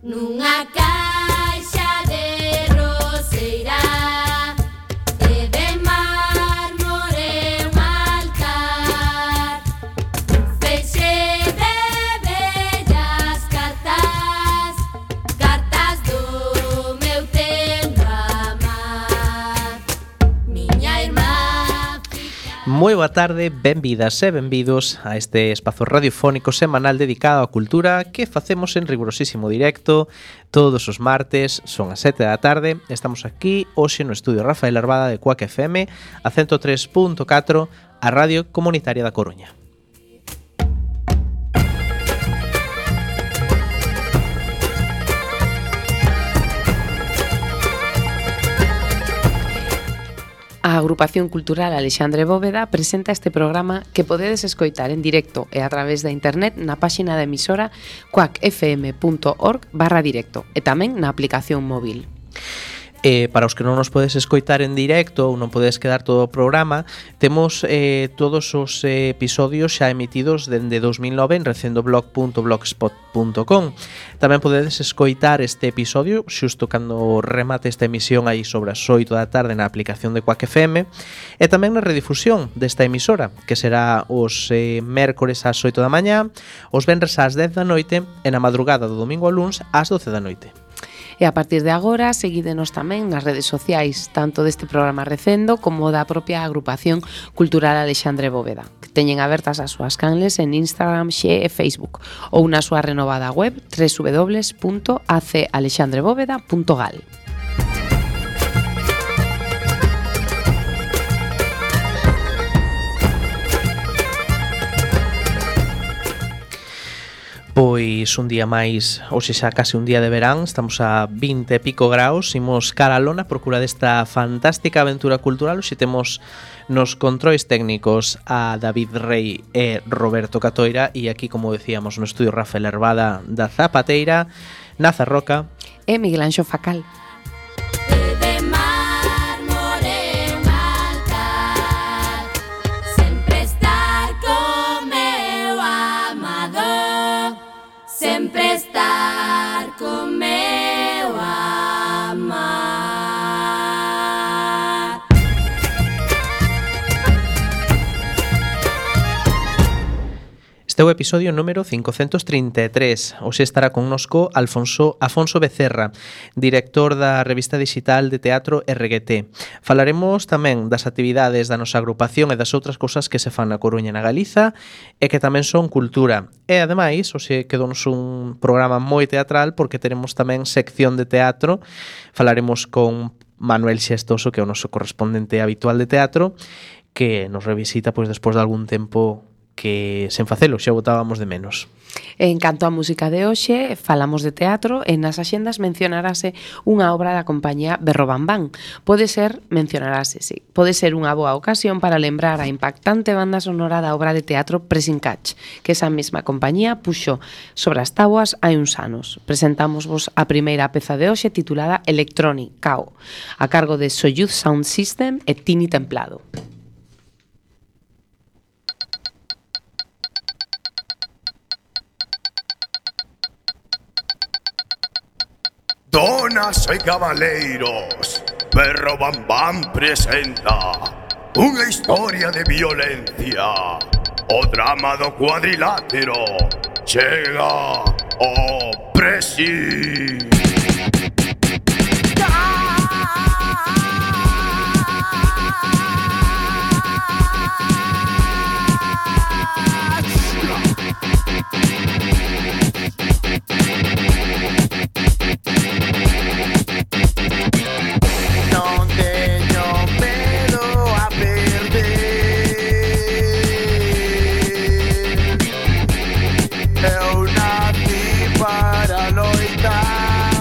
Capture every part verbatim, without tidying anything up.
Nunha caixa de roseira e de mármore un altar, feixe de bellas cartas, cartas do meu tendo amar. Miña irmá fica... Moi boa tarde, benvidas e benvidos a este espazo radiofónico semanal dedicado á cultura que facemos en rigurosísimo directo todos os martes, son as sete da tarde. Estamos aquí hoxe no estudio Rafael Arbada de Cuac F M a ciento tres punto catro, a Radio Comunitaria da Coruña. A Agrupación Cultural Alexandre Bóveda presenta este programa que podedes escoitar en directo e a través da internet na páxina da emisora cuac f m punto org barra directo e tamén na aplicación móvil. Eh, para os que non nos podes escoitar en directo ou non podes quedar todo o programa, temos eh, todos os eh, episodios xa emitidos dende dos mil nove en recendoblog punto blogspot punto com. Tamén podedes escoitar este episodio xusto cando remate esta emisión aí sobre as oito da tarde na aplicación de Cuac F M e tamén na redifusión desta emisora, que será os eh, mércores ás oito da mañá, os venres ás dez da noite e na madrugada do domingo ao luns ás doce da noite. E a partir de agora, seguídenos tamén nas redes sociais, tanto deste programa Recendo como da propia Agrupación Cultural Alexandre Bóveda, que teñen abertas as súas canles en Instagram, Xe e Facebook, ou na súa renovada web w w w punto a c alexandre bóveda punto gal. Pois un día máis, hoxe xa case un día de verán, estamos a vinte e pico graus, imos cara a lona, procura desta fantástica aventura cultural. Hoxe temos nos controis técnicos a David Rey e Roberto Catoira e aquí, como decíamos, no estudio Rafael Arbada da Zapateira, Naza Roca e Miguel Anxo Facal. Sempre estar con meu amar. Este é o episodio número cincocentos trinta e tres. Hoxe estará connosco Alfonso Afonso Becerra, director da revista digital de teatro R G T. Falaremos tamén das actividades da nosa agrupación e das outras cousas que se fan na Coruña e na Galiza e que tamén son cultura. E ademais, hoxe quedounos un programa moi teatral porque teremos tamén sección de teatro. Falaremos con Manuel Xestoso, que é o noso correspondente habitual de teatro, que nos revisita pois despois de algún tempo que sen facelo xa botábamos de menos. En canto á música de hoxe, falamos de teatro e nas axendas mencionarase unha obra da compañía Berrobambán. Pode ser, mencionarase, sí, pode ser unha boa ocasión para lembrar a impactante banda sonora da obra de teatro Pressing Catch, que esa mesma compañía puxo sobre as táboas hai uns anos. Presentámosvos a primeira peza de hoxe titulada Electronic Cao, a cargo de Soyuz Sound System e Tini Templado. Donas e cabaleiros, Berrobambán presenta unha historia de violencia. O drama do cuadrilátero chega ao Pressing. Eu nací para loitar.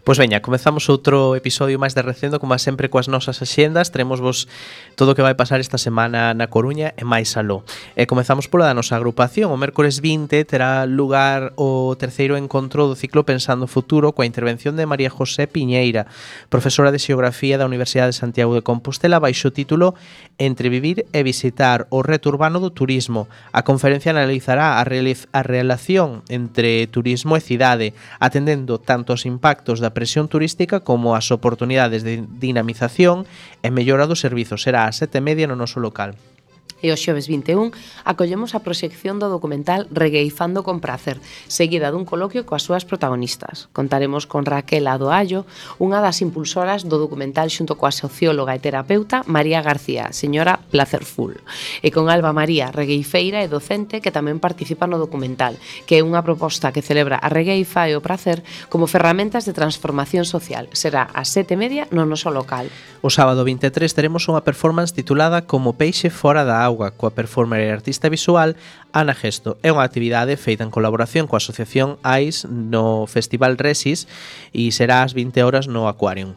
Pois veña, comezamos outro episodio máis de Recendo, como sempre coas nosas axendas. Teremos vos todo o que vai pasar esta semana na Coruña e máis aló. E comezamos pola da nosa agrupación. O mércores vinte terá lugar o terceiro encontro do ciclo Pensando Futuro coa intervención de María José Piñeira, profesora de Xeografía da Universidade de Santiago de Compostela, baixo o título Entre vivir e visitar, o reto urbano do turismo. A conferencia analizará a, a relación entre turismo e cidade, atendendo tanto aos impactos da presión turística como as oportunidades de dinamización e mellora dos servizos. Será ás sete e media no noso local. E o xoves vinte e un acollemos a proxección do documental Regueifando con Prazer, seguida dun coloquio coas súas protagonistas. Contaremos con Raquel Adoallo, unha das impulsoras do documental xunto coa socióloga e terapeuta María García, señora Placerful, e con Alba María, regueifeira e docente que tamén participa no documental, que é unha proposta que celebra a regueifa e o prazer como ferramentas de transformación social. Será ás sete e media no noso local. O sábado vinte e tres teremos unha performance titulada Como peixe fora da auga, coa performer e artista visual Ana Gesto. É unha actividade feita en colaboración coa Asociación A I S no Festival Resis e será ás vinte horas no Aquarium.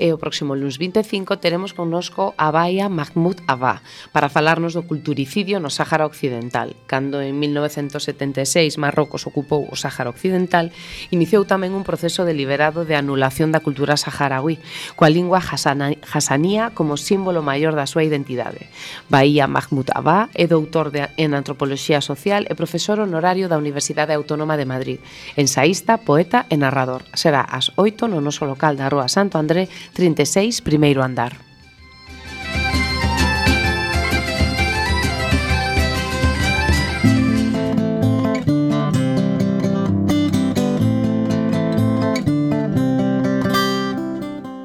E o próximo luns vinte e cinco teremos connosco a Baia Mahmoud Abba para falarnos do culturicidio no Sáhara Occidental. Cando en mil novecentos setenta e seis Marrocos ocupou o Sáhara Occidental, iniciou tamén un proceso deliberado de anulación da cultura saharaui, coa lingua hasanía como símbolo maior da súa identidade. Baia Mahmoud Abba é doutor de, en Antropoloxía Social e profesor honorario da Universidade Autónoma de Madrid, ensaísta, poeta e narrador. Será ás oito no noso local da Rúa Santo André trinta e seis, primeiro andar.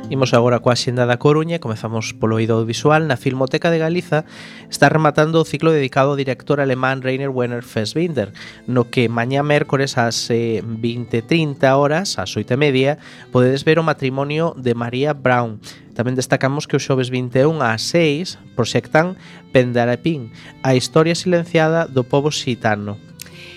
Imos agora coa xenda da Coruña. Comezamos polo eido audiovisual. Na Filmoteca de Galiza está rematando o ciclo dedicado ao director alemán Rainer Werner Fassbinder, no que mañá mércores ás vinte e trinta horas, ás oito e media, podedes ver o matrimonio de María Braun. Tamén destacamos que o xoves vinte e un ás seis proxectan Pendarapín, a historia silenciada do pobo xitano.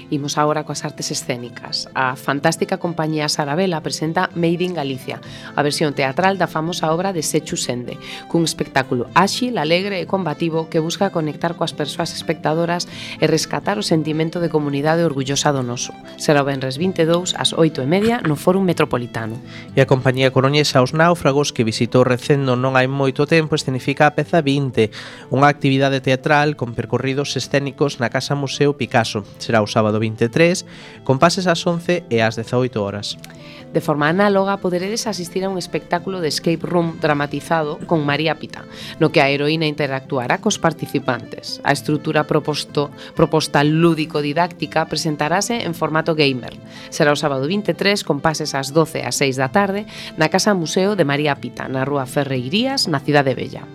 Imos agora coas artes escénicas. A fantástica compañía Sarabela presenta Made in Galicia, a versión teatral da famosa obra de Sechu Sende, cun espectáculo áxil, alegre e combativo que busca conectar coas persoas espectadoras e rescatar o sentimento de comunidade orgullosa do noso. Será o venres vinte e dous ás oito e media no Fórum Metropolitano. E a compañía coruñesa Os Náufragos, que visitou Recendo non hai moito tempo, escenifica a peza vinte, unha actividade teatral con percorridos escénicos na Casa Museo Picasso. Será o sábado vinte e tres, con pases ás once e ás dezaoito horas. De forma análoga, poderedes asistir a un espectáculo de escape room dramatizado con María Pita, no que a heroína interactuará cos participantes. A estrutura proposto, proposta lúdico-didáctica presentarase en formato gamer. Será o sábado vinte e tres, con pases ás doce e ás seis da tarde, na Casa Museo de María Pita, na Rúa Ferreirías, na Cidade Vella.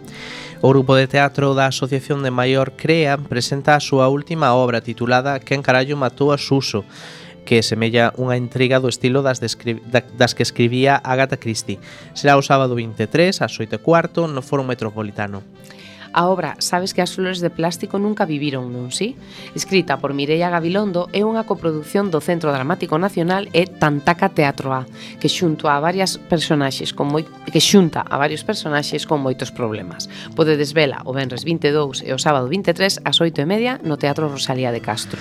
O grupo de teatro da Asociación de Maior Crea presenta a súa última obra titulada Quen carallo matou a Suso, que semella unha intriga do estilo das, das que escribía Agatha Christie. Será o sábado vinte e tres, ás oito e cuarto, no Fórum Metropolitano. A obra Sabes que as flores de plástico nunca viviron, non si? Escrita por Mireia Gabilondo, é unha coproducción do Centro Dramático Nacional e Tantaca Teatro A, que xunto a varias personaxes con moi, que xunta a varios personaxes con moitos problemas. Podedes vela o venres vinte e dous e o sábado vinte e tres ás oito e media no Teatro Rosalía de Castro.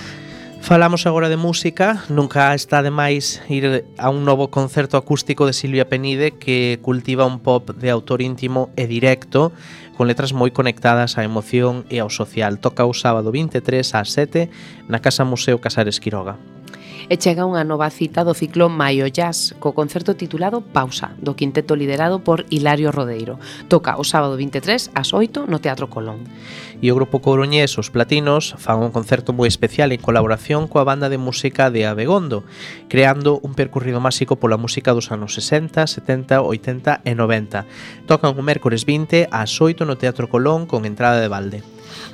Falamos agora de música. Nunca está de máis ir a un novo concerto acústico de Silvia Penide, que cultiva un pop de autor íntimo e directo, con letras moi conectadas á emoción e ao social. Toca o sábado vinte e tres ás sete na Casa Museo Casares Quiroga. E chega unha nova cita do ciclo Maio Jazz, co concerto titulado Pausa, do quinteto liderado por Hilario Rodeiro. Toca o sábado vinte e tres ás oito no Teatro Colón. E o grupo coruñés Os Platinos fan un concerto moi especial en colaboración coa banda de música de Abegondo, creando un percorrido máxico pola música dos anos sesenta, setenta, oitenta e noventa. Tocan o mércores vinte ás oito no Teatro Colón con entrada de balde.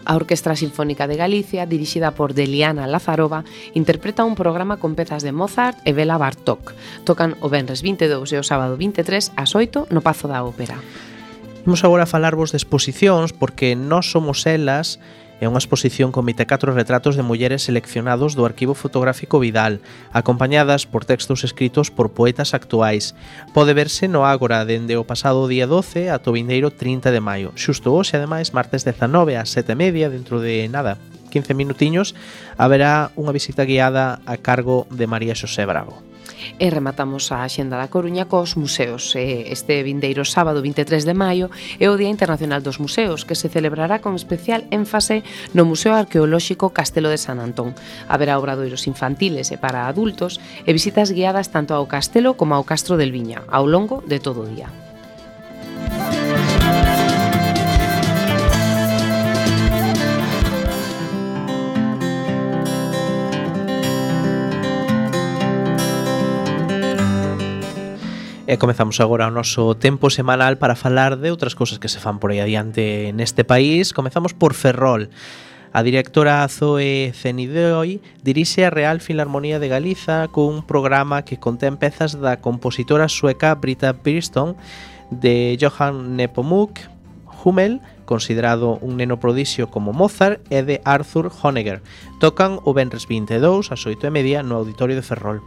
A Orquestra Sinfónica de Galicia, dirixida por Deliana Lazarova, interpreta un programa con pezas de Mozart e Bela Bartók. Tocan o venres vinte e dous e o sábado vinte e tres ás oito no Pazo da Ópera. Imos agora a falarvos de exposicións porque Nós somos elas é unha exposición con vinte e catro retratos de mulleres seleccionados do Arquivo Fotográfico Vidal, acompañadas por textos escritos por poetas actuais. Pode verse no Ágora dende o pasado día doce ata o vindeiro trinta de maio. Xusto hoxe, ademais, martes dezanove ás sete e media, dentro de nada, quince minutiños, haberá unha visita guiada a cargo de María Xosé Bravo. E rematamos a Axenda da Coruña cos museos. Este vindeiro sábado vinte e tres de maio é o Día Internacional dos Museos, que se celebrará con especial énfase no Museo Arqueolóxico Castelo de San Antón. Haberá obradoiros infantiles e para adultos e visitas guiadas tanto ao castelo como ao Castro del Viña, ao longo de todo o día. E comezamos agora o noso tempo semanal para falar de outras cousas que se fan por aí adiante neste país. Comezamos por Ferrol. A directora Zoe Zenidoi dirixe a Real Filarmonía de Galiza cun programa que contén pezas da compositora sueca Britta Birdsong, de Johann Nepomuk Hummel, considerado un neno prodixio como Mozart, e de Arthur Honegger. Tocan o venres vinte e dous ás oito e media no Auditorio de Ferrol.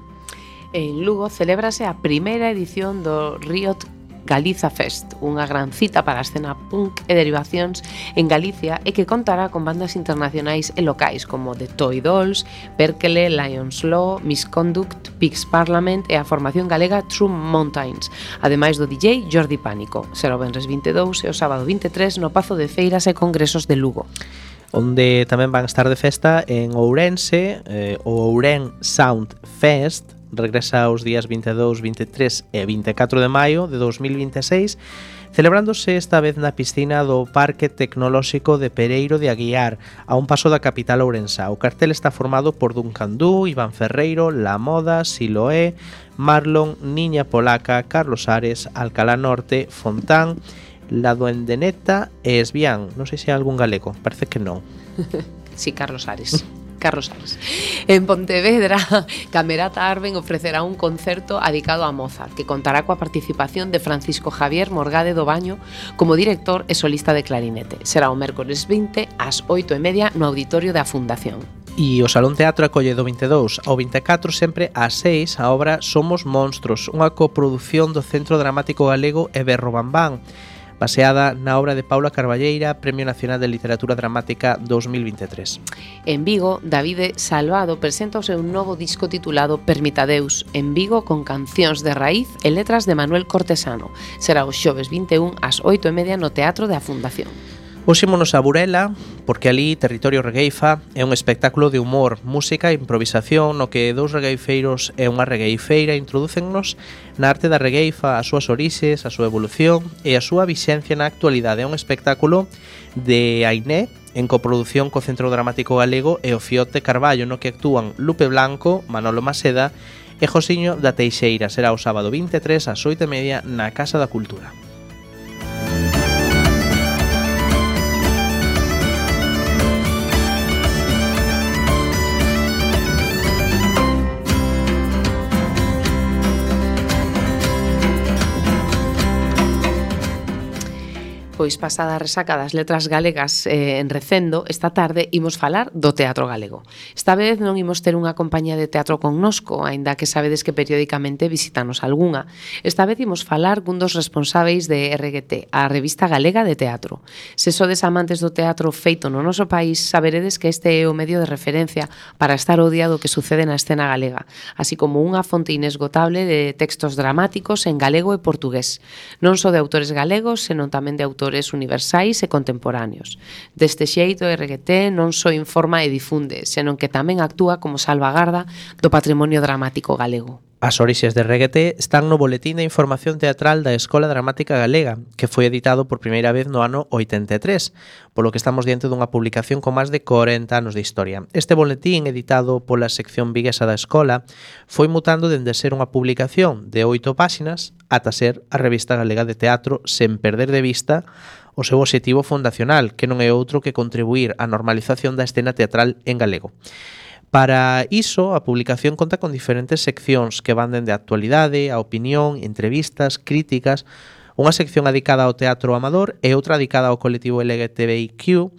En Lugo celébrase a primeira edición do Riot Galiza Fest, unha gran cita para a escena punk e derivacións en Galicia e que contará con bandas internacionais e locais como The Toy Dolls, Perkele, Lions Law, Misconduct, Pigs Parliament e a formación galega True Mountains, ademais do D J Jordi Pánico. Será o venres vinte e dous e o sábado vinte e tres no Pazo de Feiras e Congresos de Lugo, onde tamén van estar de festa en Ourense, eh, o Ouren Sound Fest. Regresa os días vinte e dous, vinte e tres e vinte e catro de maio de dos mil vinte e seis, celebrándose esta vez na piscina do Parque Tecnolóxico de Pereiro de Aguiar, a un paso da capital ourensa. O cartel está formado por Duncan Du, Iván Ferreiro, La Moda, Siloé, Marlon, Niña Polaca, Carlos Ares, Alcalá Norte, Fontán, La Duendeneta e Esbián. Non sei se hai algún galego, parece que non. Sí, Carlos Ares. Carlos Ares. En Pontevedra, Camerata Arben ofrecerá un concerto dedicado a Mozart, que contará coa participación de Francisco Javier Morgade do Baño como director e solista de clarinete. Será o mércores vinte ás oito e media no Auditorio da Fundación. E o Salón Teatro acolle do vinte e dous ao vinte e catro sempre ás seis a obra Somos Monstros, unha coproducción do Centro Dramático Galego e Berro Bambán, baseada na obra de Paula Carballeira, Premio Nacional de Literatura Dramática dos mil vinte e tres. En Vigo, Davide Salvado presenta o seu novo disco titulado Permitadeus, en Vigo con cancións de raíz e letras de Manuel Cortesano. Será o xoves vinte e un ás oito e media no Teatro da Fundación. Puxémonos a Burela, porque ali Territorio Regueifa é un espectáculo de humor, música e improvisación no que dous regueifeiros e unha regueifeira introdúcennos na arte da regueifa, as súas orixes, a súa evolución e a súa vixencia na actualidade. É un espectáculo de Ainé, en coproducción co Centro Dramático Galego e o Fiote Carballo, no que actúan Lupe Blanco, Manolo Maseda e Josiño da Teixeira. Será o sábado vinte e tres ás oito e media na Casa da Cultura. Pois pasada a resaca das letras galegas eh, en Recendo, esta tarde imos falar do teatro galego. Esta vez non imos ter unha compañía de teatro connosco, aínda que sabedes que periódicamente visitanos algunha. Esta vez imos falar cun dos responsáveis de R G T, a Revista Galega de Teatro. Se sodes amantes do teatro feito no noso país, saberedes que este é o medio de referencia para estar ao día do que sucede na escena galega, así como unha fonte inesgotable de textos dramáticos en galego e portugués, non só de autores galegos, senón tamén de autores universais e contemporáneos. Deste xeito, R G T non só informa e difunde, senón que tamén actúa como salvagarda do patrimonio dramático galego. As orixes de R G T están no Boletín de Información Teatral da Escola Dramática Galega, que foi editado por primeira vez no ano oitenta e tres, polo que estamos diante dunha publicación con máis de corenta anos de historia. Este boletín, editado pola sección viguesa da escola, foi mutando dende ser unha publicación de oito páxinas ata ser a Revista Galega de Teatro, sen perder de vista o seu obxectivo fundacional, que non é outro que contribuir á normalización da escena teatral en galego. Para iso, a publicación conta con diferentes seccións que van dende a actualidade, a opinión, entrevistas, críticas Unha sección dedicada ao teatro amador e outra dedicada ao colectivo L G T B I Q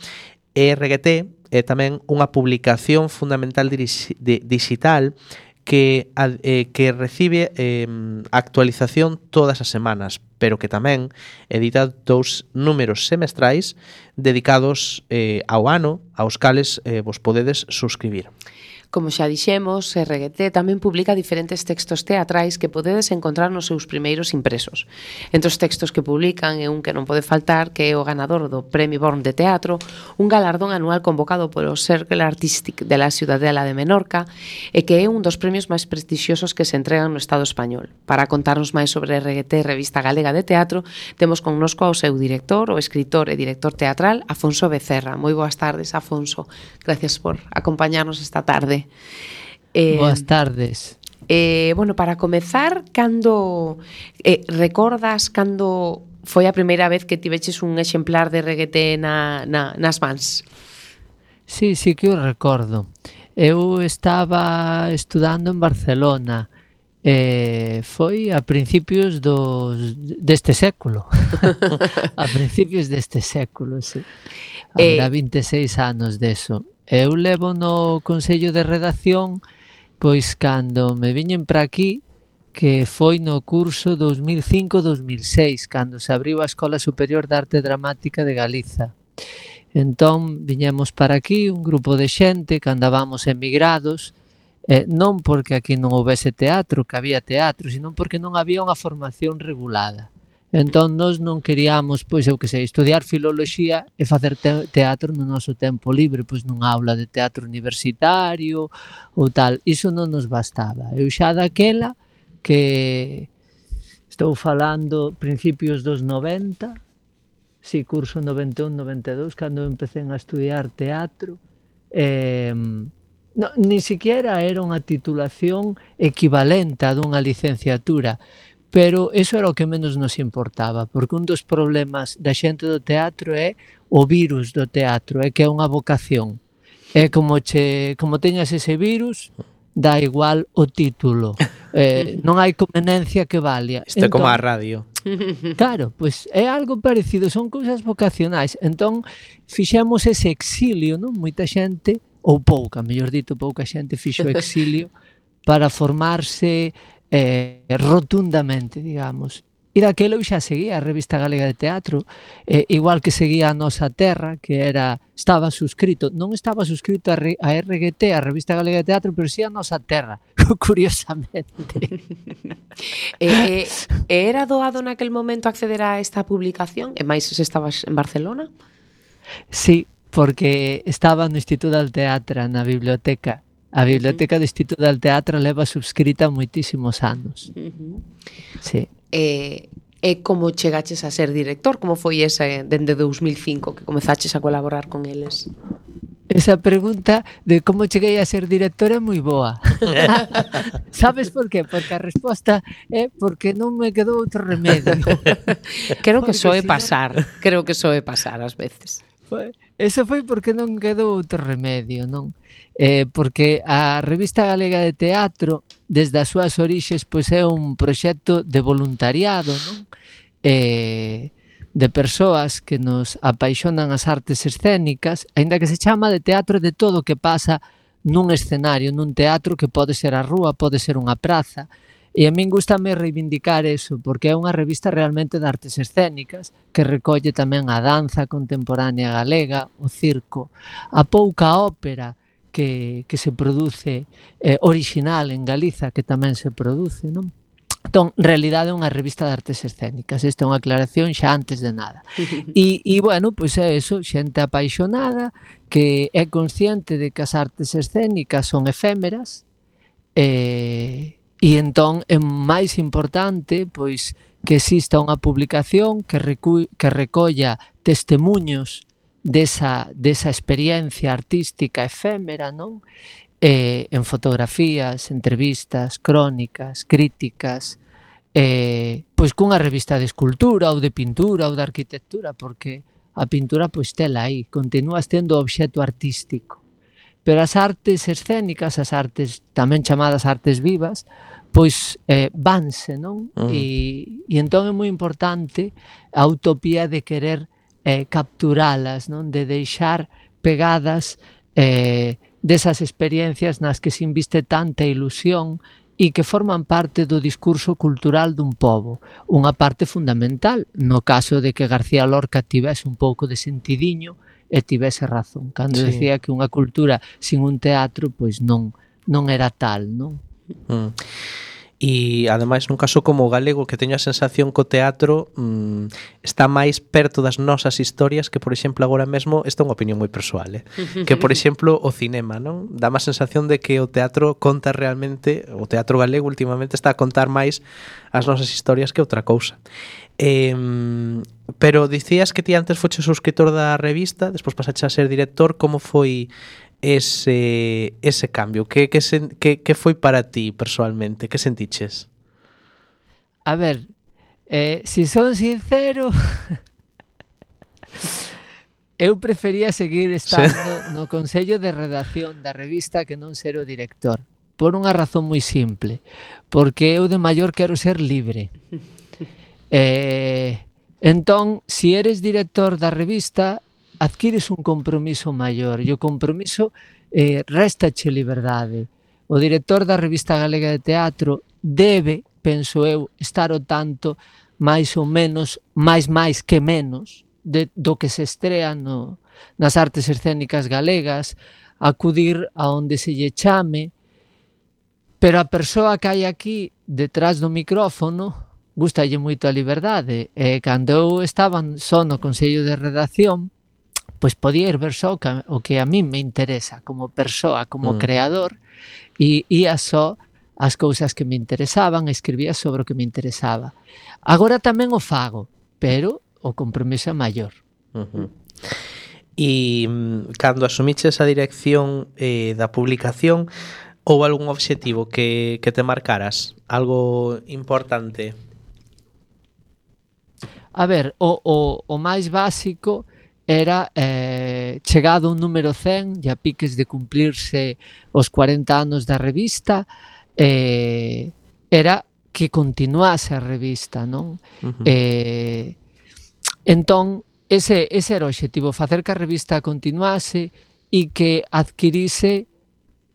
e R G T é tamén unha publicación fundamental digital que, eh, que recibe eh, actualización todas as semanas, pero que tamén edita dous números semestrais dedicados eh, ao ano, aos cales eh, vos podedes suscribir. Como xa dixemos, R G T tamén publica diferentes textos teatrais que podedes encontrar nos seus primeiros impresos. Entre os textos que publican é un que non pode faltar, que é o ganador do Premi Born de Teatro, un galardón anual convocado polo Cercle Artístic de la Ciudadela de Menorca e que é un dos premios máis prestixiosos que se entregan no Estado español. Para contarnos máis sobre R G T, Revista Galega de Teatro, temos connosco ao seu director, o escritor e director teatral, Afonso Becerra. Moi boas tardes, Afonso. Gracias por acompañarnos esta tarde. Eh, Boas tardes. Eh, bueno, para comezar, cando eh, recordas cando foi a primeira vez que tiveches un exemplar de R G T na, na, nas mans? Sí, sí que o recordo. Eu estaba estudando en Barcelona. Eh, foi a principios dos, deste século. A principios deste século, sí. Habrá eh, vinte e seis anos deso. Eu levo no Consello de Redacción pois cando me viñen para aquí, que foi no curso dos mil cinco dos mil seis, cando se abriu a Escola Superior de Arte Dramática de Galiza. Entón viñemos para aquí un grupo de xente que andábamos emigrados, eh, non porque aquí non houvese teatro, que había teatro, sino porque non había unha formación regulada. Entón, nós non queríamos, pois, eu que sei, estudiar filoloxía e facer te teatro no noso tempo libre, pois nunha aula de teatro universitario ou tal. Iso non nos bastaba. Eu xa daquela, que estou falando principios dos noventa, si, curso noventa e un noventa e dous, cando empecé a estudiar teatro, eh, no, ni siquiera era unha titulación equivalente a dunha licenciatura, pero eso era o que menos nos importaba, porque un dos problemas da xente do teatro é o virus do teatro, é que é unha vocación. É como che, como teñas ese virus, dá igual o título. Eh, non hai conveniencia que valía. Isto é como a radio. Claro, pois é algo parecido, son cousas vocacionais. Entón, fixemos ese exilio, non? Moita xente, ou pouca, mellor dito, pouca xente fixo exilio para formarse Eh, rotundamente, digamos. E daquelo xa seguía a Revista Galega de Teatro, eh, igual que seguía a Nosa Terra, que era estaba suscrito, non estaba suscrito a, a R G T, a Revista Galega de Teatro, pero sí a Nosa Terra, curiosamente. eh, eh, era doado naquel momento acceder a esta publicación? E máis se estabas en Barcelona? Sí, porque estaba no Instituto del Teatro, na biblioteca. A Biblioteca do Instituto del Teatro leva subscrita moitísimos anos. Uh-huh. Sí. E, e como chegaches a ser director? Como foi ese dende dous mil cinco que comezaches a colaborar con eles? Esa pregunta de como cheguei a ser director é moi boa. Sabes por qué? Porque a resposta é porque non me quedou outro remedio. Creo que soe pasar. Creo que soe pasar ás veces. Eso foi porque non quedou outro remedio, non? Eh, porque a Revista Galega de Teatro, desde as súas orixes, pois é un proxecto de voluntariado, non? Eh, de persoas que nos apaixonan as artes escénicas, aínda que se chama de teatro de todo o que pasa nun escenario, nun teatro que pode ser a rúa, pode ser unha praza. E a min gustame reivindicar eso, porque é unha revista realmente de artes escénicas que recolle tamén a danza contemporánea galega, o circo, a pouca ópera que, que se produce eh, original en Galiza, que tamén se produce, non? Entón, en realidade é unha revista de artes escénicas, esta é unha aclaración xa antes de nada. E, e bueno, pois é eso, xente apaixonada, que é consciente de que as artes escénicas son efémeras, e... E entón é máis importante pois que exista unha publicación que, recu que recolla testemunhos desa, desa experiencia artística efémera, non? Eh, en fotografías, entrevistas, crónicas, críticas, eh, pois cunha revista de escultura ou de pintura ou de arquitectura, porque a pintura pois tela aí, continúa sendo obxecto artístico. Pero as artes escénicas, as artes tamén chamadas artes vivas, pois eh, vanse, non? Mm. E, e entón é moi importante a utopía de querer eh, capturalas, non? De deixar pegadas eh, desas experiencias nas que se inviste tanta ilusión e que forman parte do discurso cultural dun pobo. Unha parte fundamental, no caso de que García Lorca tivese un pouco de sentidiño e tivese razón, cando Sí. decía que unha cultura sin un teatro pois non, non era tal, non? Mm. E ademais nun caso como o galego, que teño a sensación que o teatro mm, está máis perto das nosas historias que, por exemplo, agora mesmo, esta é unha opinión moi persoal, eh? que, por exemplo, o cinema, non? Dá má sensación de que o teatro conta realmente, o teatro galego últimamente está a contar máis as nosas historias que outra cousa. Eh, pero dicías que ti antes foches subscritor da revista, despois pasaches a ser director. Como foi ese ese cambio? Que que sen, que que foi para ti persoalmente? Que sentiches? A ver, eh, si son sincero, eu prefería seguir estando no consello de redacción da revista que non ser o director. Por unha razón moi simple, porque eu de maior quero ser libre. Eh, entón, si eres director da revista, adquires un compromiso maior, e o compromiso eh, réstache liberdade. O director da Revista Galega de Teatro debe, penso eu, estar ao tanto máis ou menos, máis máis que menos, de, do que se estrea no, nas artes escénicas galegas, acudir a onde se lle chame, pero a persoa que hai aquí detrás do micrófono gustalle moito a liberdade, e cando eu estaba só no consello de redacción, pois podía ir ver só o que a mí me interesa como persoa, como Mm. creador, e ia só as cousas que me interesaban, escribía sobre o que me interesaba. Agora tamén o fago, pero o compromiso é maior. Uh-huh. E mm, cando asumiches a dirección eh, da publicación, houve algún obxectivo que, que te marcaras? Algo importante? A ver, o, o, o máis básico era eh, chegado un número cen, e a piques de cumplirse os cuarenta anos da revista, eh, era que continuase a revista, non? Uh-huh. Eh, entón, ese, ese era o obxectivo, facer que a revista continuase e que adquirise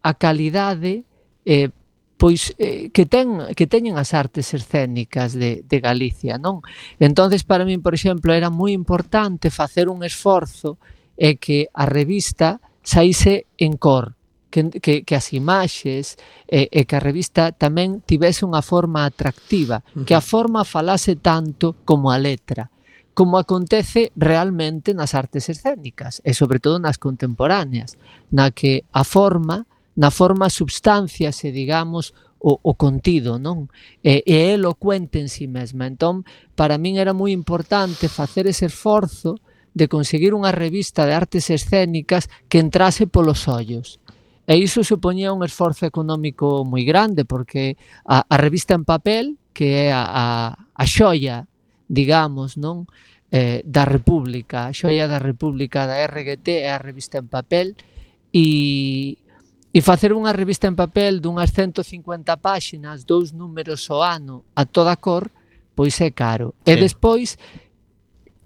a calidade eh, pois eh, que ten que teñen as artes escénicas de, de Galicia, non? Entonces, para min, por exemplo, era moi importante facer un esforzo e que a revista saíse en cor, que, que, que as imaxes e, e que a revista tamén tivese unha forma atractiva, que a forma falase tanto como a letra, como acontece realmente nas artes escénicas e sobre todo nas contemporáneas, na que a forma na forma substanciase, digamos, o, o contido, non? E, e é elocuente en si mesma. Entón, para min era moi importante facer ese esforzo de conseguir unha revista de artes escénicas que entrase polos ollos. E iso supoñía un esforzo económico moi grande, porque a, a revista en papel, que é a, a, a xoia, digamos, non? Eh, da República, a xoia da República da R G T é a revista en papel, e E facer unha revista en papel dunhas ciento cincuenta páxinas, dous números ao ano, a toda cor, pois é caro. Sí. E despois,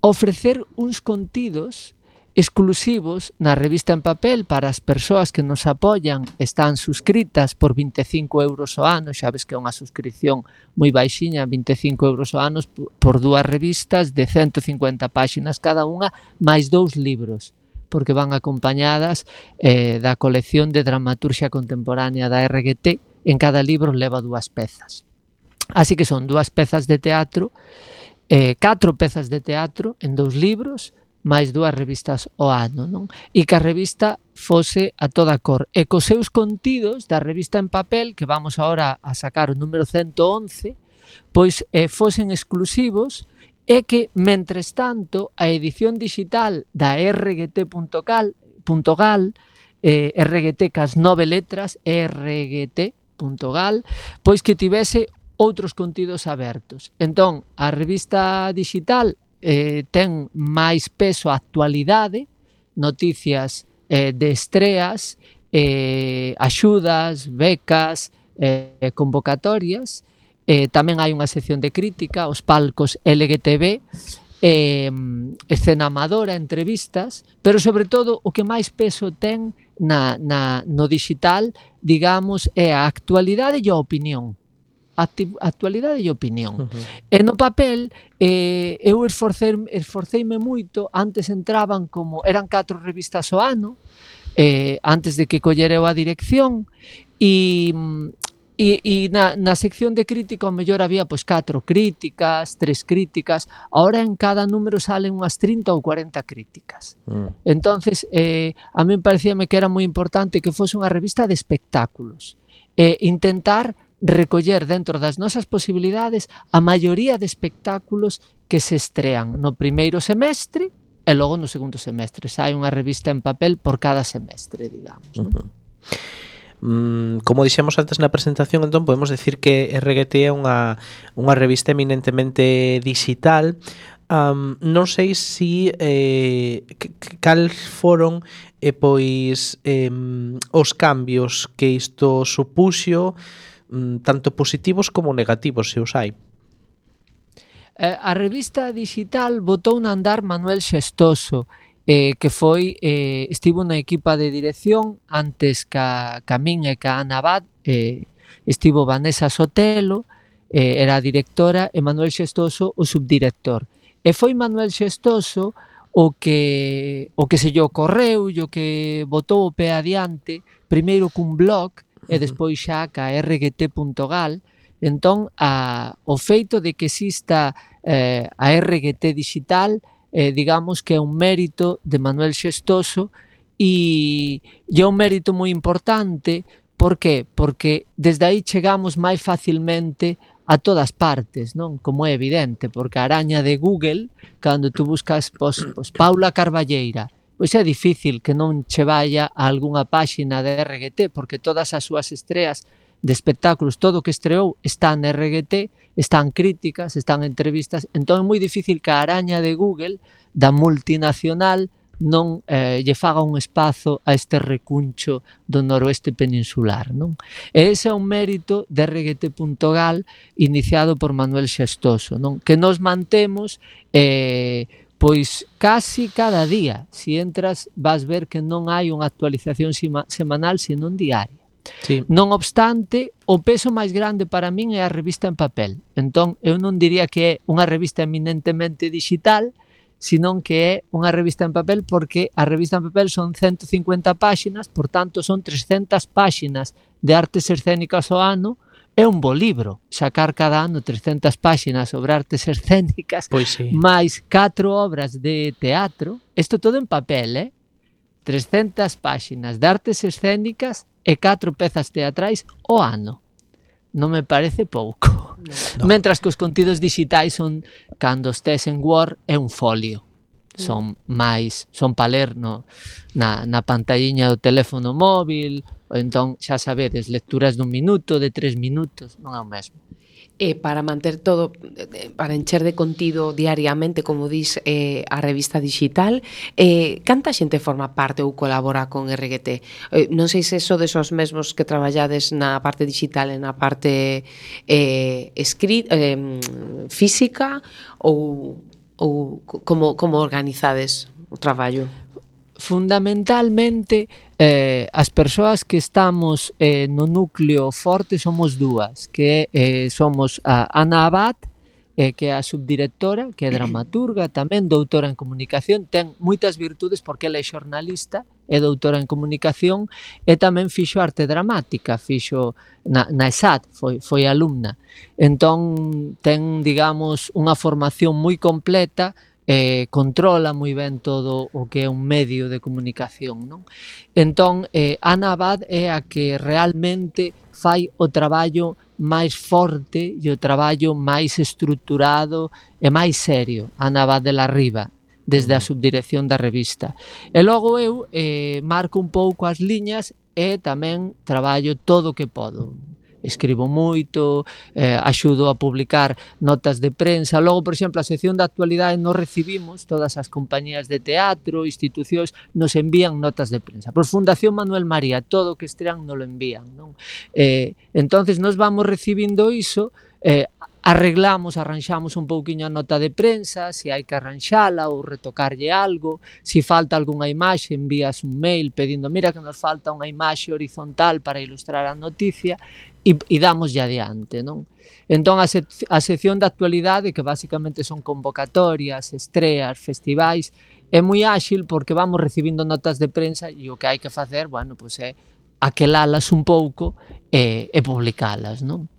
ofrecer uns contidos exclusivos na revista en papel para as persoas que nos apoian, están suscritas por vinte e cinco euros ao ano, xa ves que é unha suscripción moi baixiña, vinte e cinco euros ao ano por dúas revistas de ciento cincuenta páxinas cada unha, máis dous libros, porque van acompañadas eh, da colección de dramaturxia contemporánea da R G T. En cada libro leva dúas pezas. Así que son dúas pezas de teatro, eh, catro pezas de teatro en dous libros, máis dúas revistas ao ano, non? E que a revista fose a toda cor. E cos seus contidos da revista en papel, que vamos agora a sacar o número ciento once, pois eh, fosen exclusivos, é que, mentres tanto, a edición digital da R G T punto gal, eh, R G T cas nove letras, R G T punto gal, pois que tivese outros contidos abertos. Entón, a revista digital eh, ten máis peso a actualidade, noticias eh, de estreas, eh, axudas, becas, eh, convocatorias, eh, tamén hai unha sección de crítica, os palcos L G T B, eh, escena amadora, entrevistas, pero sobre todo o que máis peso ten na, na, no digital, digamos, é a actualidade e a opinión. Acti- actualidade e opinión. Uh-huh. E no papel, eh, eu esforcei, esforceime moito, antes entraban como, eran catro revistas ao ano, eh, antes de que collera eu a dirección, e... E, e na, na sección de crítica ao mellor había pois catro críticas, tres críticas, ahora en cada número salen unhas trinta ou cuarenta críticas. Mm. Entonces, eh, a mí parecíame que era moi importante que fose unha revista de espectáculos. Eh, intentar recoller dentro das nosas posibilidades a maioría de espectáculos que se estrean no primeiro semestre e logo no segundo semestre. Sai unha revista en papel por cada semestre, digamos. Uh-huh. ¿No? Como dixemos antes na presentación, entón podemos decir que R G T é unha, unha revista eminentemente digital. Um, non sei se eh, cal foron eh, pois eh, os cambios que isto supuxo, um, tanto positivos como negativos, se os hai. Eh, a revista digital botou a andar Manuel Xestoso, Eh, que foi, eh, estivo na equipa de dirección antes ca, ca min e ca Ana Abad, eh, estivo Vanessa Sotelo, eh, era a directora, e Manuel Xestoso o subdirector. E foi Manuel Xestoso o que o que se lle ocorreu, o que botou o pé adiante, primeiro cun blog e despois xa ca erre ge te punto gal. Entón, a, o feito de que exista eh, a erre ge te digital, Eh, digamos que é un mérito de Manuel Xestoso e, e é un mérito moi importante. Por qué? Porque desde aí chegamos máis facilmente a todas partes, non? Como é evidente, porque a araña de Google, cando tú buscas pos, pos Paula Carballeira, pois é difícil que non che vaya a algunha páxina de erre ge te, porque todas as súas estreas de espectáculos, todo o que estreou está en erre ge te, están críticas, están entrevistas, entón é moi difícil que a araña de Google da multinacional non eh, lle faga un espazo a este recuncho do noroeste peninsular, non? E ese é un mérito de erre ge te punto gal iniciado por Manuel Xestoso, non? Que nos mantemos eh, pois casi cada día. Si entras vas ver que non hai unha actualización sima, semanal, senón diaria. Sí. Non obstante, o peso máis grande para min é a revista en papel. Entón, eu non diría que é unha revista eminentemente digital, senón que é unha revista en papel, porque a revista en papel son ciento cincuenta páxinas, por tanto son trescentas páxinas de artes escénicas ao ano. É un bo libro, sacar cada ano trescentas páxinas sobre artes escénicas, pois sí, máis catro obras de teatro. Isto todo en papel, eh? trescentas páxinas de artes escénicas e catro pezas teatrais ao ano. Non me parece pouco. No. Mentras que os contidos digitais son, cando estés en Word, é un folio. Son máis, son pa ler no, na, na pantalliña do teléfono móvil, ou entón, xa sabedes, lecturas dun minuto, de tres minutos, non é o mesmo. E para manter todo, para encher de contido diariamente, como dis, eh, a revista digital, eh, canta xente forma parte ou colabora con erre ge te? Eh, non sei se so desos mesmos que traballades na parte digital e na parte eh, escrit, eh, física, ou, ou como, como organizades o traballo? Fundamentalmente, eh, as persoas que estamos eh, no núcleo forte somos dúas, que eh, somos a Ana Abad, eh, que é a subdirectora, que é dramaturga, tamén doutora en comunicación, ten moitas virtudes porque ela é xornalista, é doutora en comunicación e tamén fixo arte dramática, fixo na, na E S A T, foi, foi alumna. Entón, ten, digamos, unha formación moi completa, eh, controla moi ben todo o que é un medio de comunicación, non? Entón, eh, Ana Abad é a que realmente fai o traballo máis forte e o traballo máis estruturado e máis serio, Ana Abad de la Riva, desde a subdirección da revista. E logo eu eh, marco un pouco as liñas e tamén traballo todo o que podo. escribo moito, eh, axudo a publicar notas de prensa. Logo, por exemplo, a sección de actualidade nos recibimos, todas as compañías de teatro, institucións, nos envían notas de prensa. Por Fundación Manuel María, todo o que estrean nos lo envían, non? Eh, entonces, nos vamos recibindo iso, eh, arreglamos, arranxamos un pouquiño a nota de prensa, se hai que arranxala ou retocarlle algo, se falta algunha imaxe, envías un mail pedindo, mira que nos falta unha imaxe horizontal para ilustrar a noticia, e, e damoslle adiante, non? Entón, a, sec a sección de actualidade, que basicamente son convocatorias, estreas, festivais, é moi áxil porque vamos recibindo notas de prensa e o que hai que facer, bueno, pois é aquelalas un pouco e, e publicalas, non?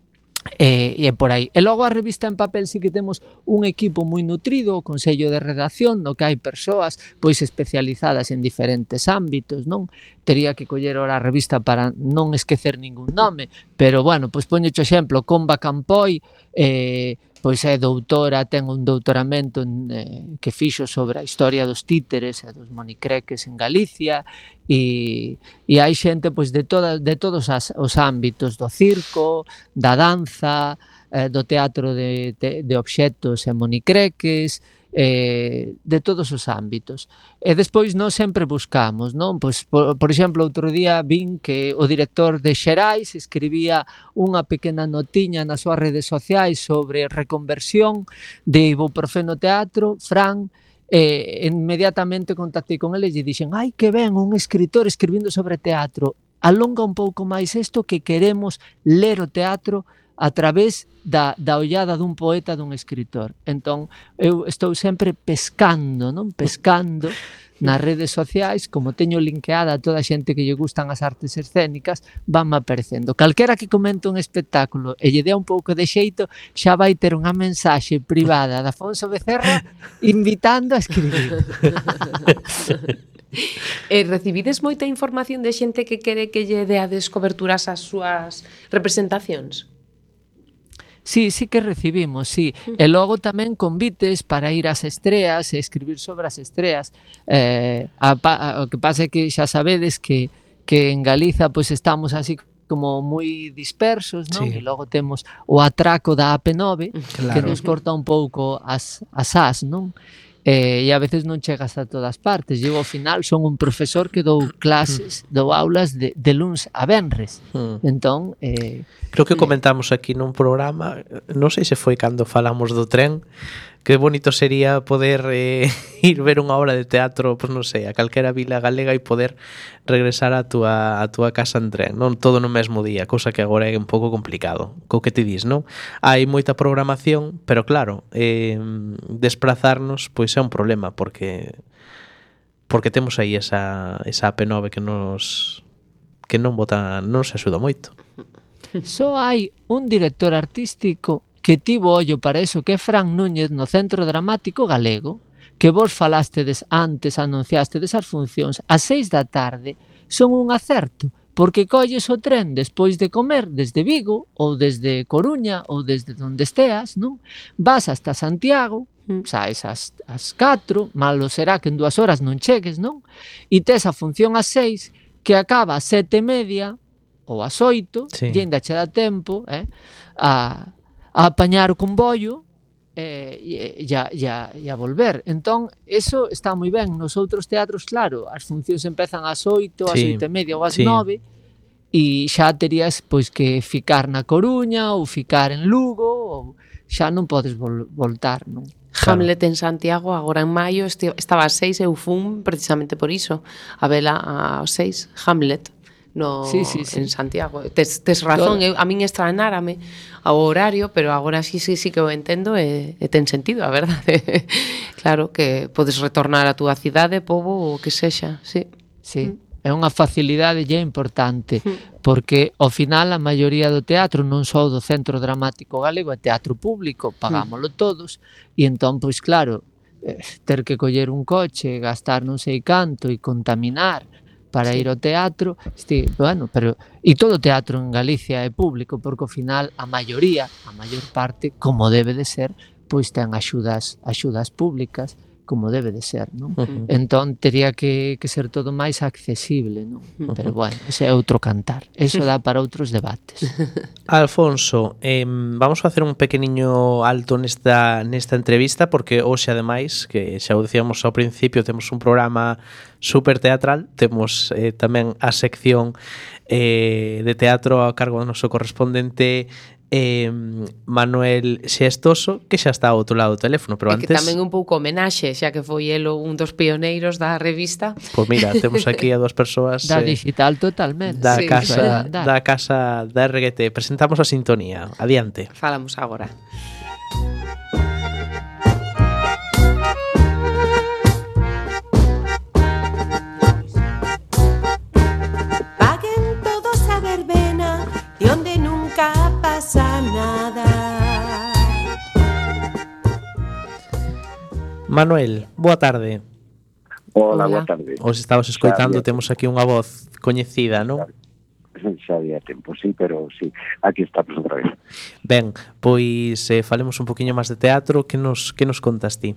E, e por aí. E logo a revista en papel sí que temos un equipo moi nutrido, o consello de redacción, no que hai persoas pois especializadas en diferentes ámbitos, non? Tería que coller ora a revista para non esquecer ningún nome, pero bueno, pois poño o exemplo, Comba Campoy, eh, pois é doutora, ten un doutoramento en, eh, que fixo sobre a historia dos títeres e dos monicreques en Galicia, e, e hai xente pois de, toda, de todos as, os ámbitos, do circo, da danza, eh, do teatro de, de, de obxectos e monicreques, eh, de todos os ámbitos. E despois nós sempre buscamos, non? Pois, por, por exemplo, outro día vin que o director de Xerais escribía unha pequena notiña nas súas redes sociais sobre reconversión de ibuprofeno teatro, Fran, e inmediatamente contactei con eles e dixen, ai que ben, un escritor escribindo sobre teatro, alonga un pouco máis isto que queremos ler o teatro a través da, da ollada dun poeta, dun escritor. Entón, eu estou sempre pescando, non? Pescando nas redes sociais, como teño linkeada a toda a xente que lle gustan as artes escénicas, vanme aparecendo. Calquera que comente un espectáculo e lle dea un pouco de xeito, xa vai ter unha mensaxe privada de Afonso Becerra invitando a escribir. E recibides moita información de xente que quere que lle deades coberturas ás súas representacións? Sí, sí que recibimos, sí. E logo tamén convites para ir ás estreas e escribir sobre as estreas. Eh, a, a, o que pasa é que xa sabedes que, que en Galiza pois estamos así como moi dispersos, non? Sí. E logo temos o atraco da A P nove, claro, que nos corta un pouco as, as as, non? Eh, e a veces non chegas a todas partes. Eu ao final son un profesor que dou clases, dou aulas de, de luns a venres. Mm. Entón, eh, creo que comentamos aquí nun programa, non sei se foi cando falamos do tren, que bonito sería poder eh, ir ver unha obra de teatro, pois non sei, a calquera vila galega e poder regresar a túa, a túa casa en tren, non todo no mesmo día, cousa que agora é un pouco complicado. Co que te dis, non? Hai moita programación, pero claro, eh, desplazarnos pois é un problema, porque porque temos aí esa, esa A P nove que nos que non bota, non se axuda moito. Só hai un director artístico que tivo ollo para eso, que é Fran Núñez no Centro Dramático Galego, que vos falastedes antes, anunciastedes as funcións, ás seis da tarde, son un acerto, porque colles o tren despois de comer desde Vigo, ou desde Coruña, ou desde onde esteas, non? Vas hasta Santiago, saes ás, ás catro, malo será que en dúas horas non chegues, non? E tes a función ás seis, que acaba ás sete e media, ou ás oito, sí, e ainda che dá tempo, eh, a... a apañar o comboio eh, e, e, a, e, a, e a volver. Entón, eso está moi ben. Nos outros teatros, claro, as funcións empezan ás oito, ás sí, oito e media ou ás sí, nove, e xa terías pois que ficar na Coruña ou ficar en Lugo, ou xa non podes vol voltar, non? Hamlet en Santiago, agora en maio, estaba ás seis, eu fun precisamente por iso, a vela ás seis, Hamlet. No, sí, sí, sí. En Santiago. Tes, tes razón, eu, a min estranárame ao horario, pero agora sí, sí, sí que o entendo e, e ten sentido, a verdade. Claro, que podes retornar a túa cidade, pobo, ou que sexa, sí. Sí, mm. É unha facilidade lle importante, mm. porque ao final a maioría do teatro, non só do Centro Dramático Galego, é teatro público, pagámolo mm. todos, e entón, pois claro, eh, ter que coller un coche, gastar non sei canto e contaminar para sí, ir ao teatro, este, bueno, pero e todo o teatro en Galicia é público, porque ao final a maioría, a maior parte, como debe de ser, pois ten axudas, axudas públicas como debe de ser, non? Uh-huh. Entón, tería que, que ser todo máis accesible, non? Pero, bueno, ese é outro cantar. Eso dá para outros debates. Alfonso, eh, vamos a facer un pequeniño alto nesta, nesta entrevista porque hoxe, ademais, que xa o decíamos ao principio, temos un programa super teatral, temos eh, tamén a sección eh, de teatro a cargo do noso correspondente eh, Manuel Xestoso, que xa está ao outro lado do teléfono, pero E que antes... tamén un pouco homenaxe, xa que foi elo un dos pioneiros da revista. Pois mira, temos aquí a dúas persoas Da eh, digital totalmente. da Sí, casa da- da casa da R G T. Presentamos a sintonía. Adiante. Falamos agora. Paguen todos a verbena, de onde nunca pasa nada. Manuel, boa tarde. Hola, Hola. boa tarde. Os estabas escoitando, Xa había temos aquí unha voz coñecida, non? Xa había tempo, sí, pero sí, aquí estamos outra vez. Ben, pois eh, falemos un poquinho máis de teatro. Que nos, que nos contas ti?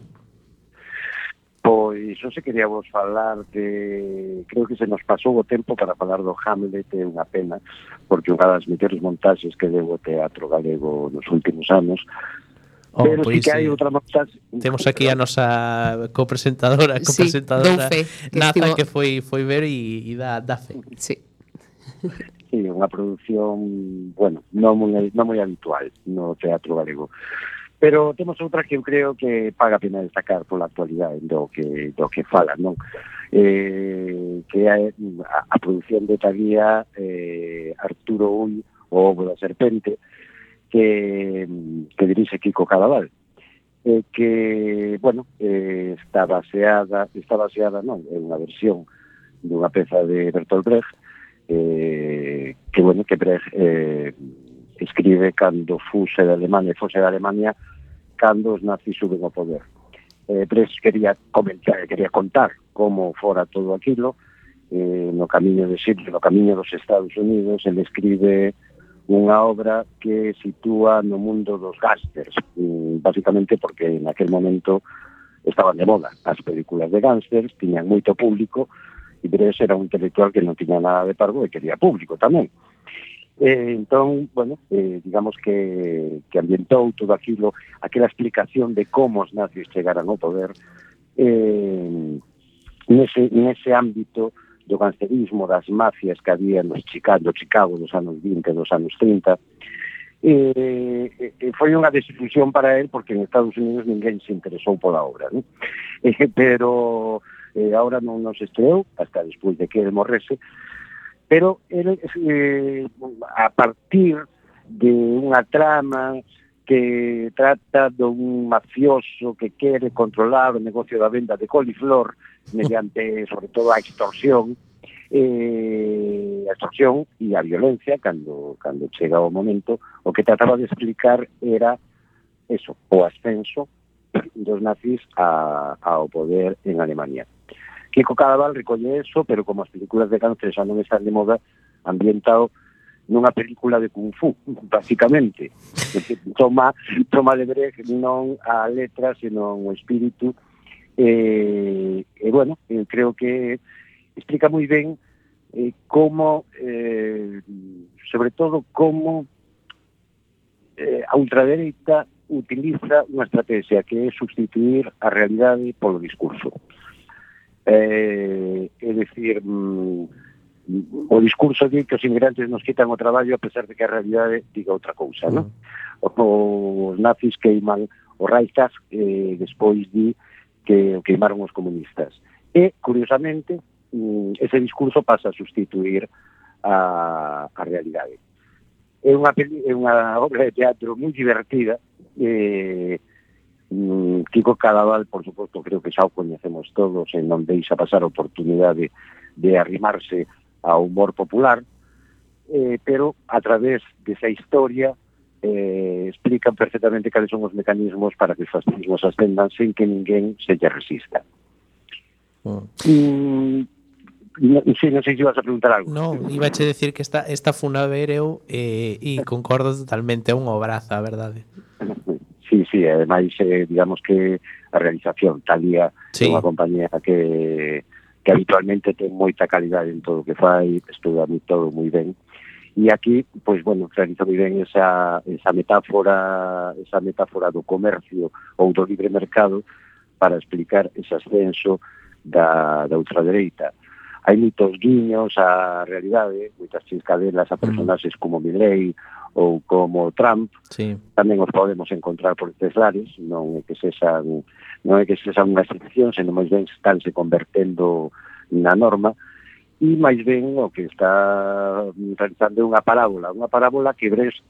Pois, eu se quería vos falar de... Creo que se nos pasou o tempo para falar do Hamlet, é unha pena, porque unha das mellores montaxes que deu o teatro galego nos últimos anos. Oh, Pero pois, sí que hai eh, outra montaxe... Temos aquí a nosa copresentadora, Sí, copresentadora dou fe, que Naza, estivo- que foi foi ver e, e dá, dá fe. Sí. Sí, unha produción, bueno, non moi, non moi habitual no teatro galego. Pero temos outra que eu creo que paga a pena destacar pola actualidade do que do que fala, non? Eh, que é a, a produción de Taguía, eh, Arturo Ull, o Ovo da Serpente, que, que dirixe Kiko Cadaval. Eh, que, bueno, eh, está baseada, está baseada, non, en unha versión dunha peza de Bertolt Brecht, eh, que, bueno, que Brecht eh, escribe cando fuse de Alemania, fose de Alemania, cando os nazis suben ao poder. Eh, Brecht quería comentar, quería contar como fora todo aquilo, eh, no camiño de Sitges, no camiño dos Estados Unidos, ele escribe unha obra que sitúa no mundo dos gángsters, basicamente porque en aquel momento estaban de moda as películas de gángsters, tiñan moito público, e Brecht era un intelectual que non tiña nada de parvo e quería público tamén. Eh, entón, bueno, eh, digamos que, que ambientou todo aquilo, aquela explicación de como os nazis chegaran ao poder, eh, nese, nese ámbito do gangsterismo, das mafias que había no Chicago, Chicago dos anos vinte, dos anos trinta, eh, eh, foi unha desilusión para él porque en Estados Unidos ninguén se interesou pola obra, ¿no? Eh, pero eh, ahora non nos estreou, hasta despois de que ele morrese, pero ele, eh, a partir de unha trama que trata dun mafioso que quere controlar o negocio da venda de coliflor mediante, sobre todo, a extorsión, eh, a extorsión e a violencia, cando, cando chega o momento, o que trataba de explicar era eso, o ascenso dos nazis a, ao poder en Alemania. Kiko Cadaval recolle eso, pero como as películas de cáncer xa non están de moda, ambientado nunha película de Kung Fu, basicamente. Toma, toma de Brecht non a letra, senón o espírito. E, e bueno, eu creo que explica moi ben eh, como, eh, sobre todo, como eh, a ultradereita utiliza unha estrategia que é sustituir a realidade polo discurso. Eh, é dicir, mm, o discurso di que os inmigrantes nos quitan o traballo a pesar de que a realidade diga outra cousa, non? Os nazis queiman o Reichstag, eh, despois di que o queimaron os comunistas. E, curiosamente, ese discurso pasa a sustituir a, a realidade. É unha, é unha obra de teatro moi divertida. Eh, Kiko Cadaval, por suposto, creo que xa o coñecemos todos e non deixa pasar a oportunidade de arrimarse ao humor popular, eh, pero a través desa historia eh, explican perfectamente cales son os mecanismos para que os fascismos ascendan sen que ninguén se lle resista. Mm. Mm, no, sí, non sei se ibas a preguntar algo. Non, iba a che decir que esta, esta funa ver eu eh, e concordo totalmente, é unha obraza, a verdade. Sí, sí, sí, ademais, eh, digamos que a realización, Talía Sí. é unha compañía que, que habitualmente ten moita calidade en todo o que fai, estuda moi todo moi ben. E aquí, pois, bueno, realiza moi ben esa, esa metáfora esa metáfora do comercio ou do libre mercado para explicar ese ascenso da, da ultradereita. Hai moitos guiños á realidade, moitas chiscadelas a personaxes como Milei ou como Trump, Sí. tamén os podemos encontrar por estes lares, non é que sexan, non é que sexan unha excepción, senón máis ben estánse convertendo na norma, e máis ben o que está realizando unha parábola, unha parábola que Brecht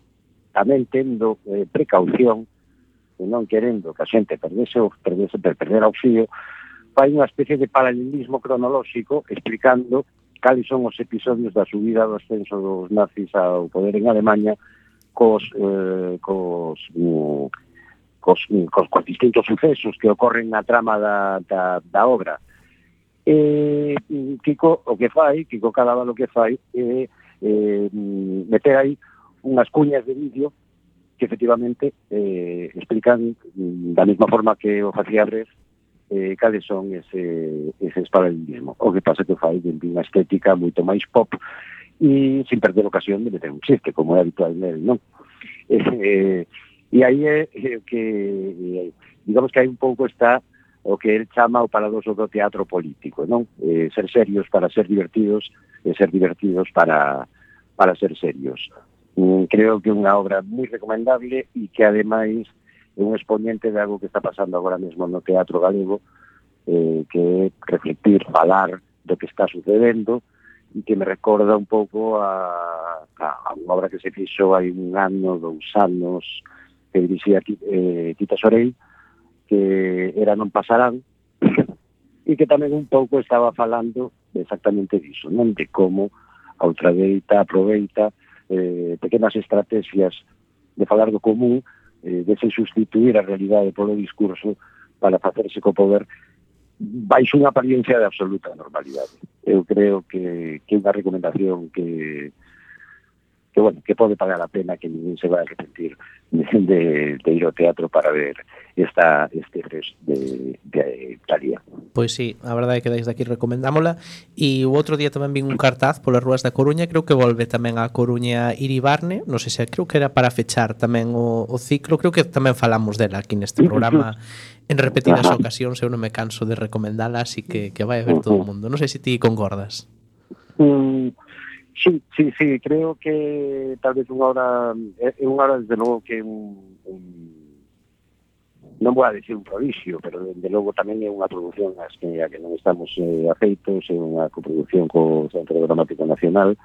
tamén tendo eh, precaución, e non querendo que a xente perdese o, perdese, perdera o fío, fai unha especie de paralelismo cronolóxico explicando cales son os episodios da subida do ascenso dos nazis ao poder en Alemanha cos, eh, cos, mm, cos, cos, cos distintos sucesos que ocorren na trama da, da, da obra. Eh, Kiko o que fai, Kiko Cadaval o que fai é eh, meter aí unhas cuñas de vídeo que efectivamente eh, explican da mesma forma que o facía Brecht eh, cales son ese, ese paralelismo. O que pasa que o fai de unha estética moito máis pop e sin perder a ocasión de meter un chiste, como é habitual nel, non? Eh, e aí é eh, que, eh, digamos que hai un pouco está o que el chama o paradoxo do teatro político, non? Eh, ser serios para ser divertidos e ser divertidos para, para ser serios. Mm, creo que é unha obra moi recomendable e que ademais é un exponente de algo que está pasando agora mesmo no teatro galego, eh, que é reflectir, falar do que está sucedendo e que me recorda un pouco a, a, a unha obra que se fixo hai un ano, dous anos, que dirixía eh, Tita Sorell, que era Non pasarán, e que tamén un pouco estaba falando exactamente diso, non? De como a ultradereita aproveita eh, pequenas estrategias de falar do común, eh, de se sustituir a realidade polo discurso para facerse co poder baixo unha apariencia de absoluta normalidade. Eu creo que, que é unha recomendación que que bueno, que pode pagar a pena, que ninguén se vai a arrepentir de, de ir ao teatro para ver esta este Brecht de, de Talía. Pois sí, a verdade é que desde aquí recomendámola. E o outro día tamén vin un cartaz polas rúas da Coruña, creo que volve tamén a Coruña Iribarne, non sei se creo que era para fechar tamén o, o ciclo, creo que tamén falamos dela aquí neste programa en repetidas Ajá. ocasións, eu non me canso de recomendala, así que, que vai a ver todo o mundo. Non sei se ti concordas. Mm, sí, sí, sí, creo que tal vez unha hora é unha hora desde logo que un, un non vou a decir un prodixio, pero desde logo tamén é unha produción as que, a que non estamos eh, afeitos, é unha coproducción co Centro Dramático Nacional,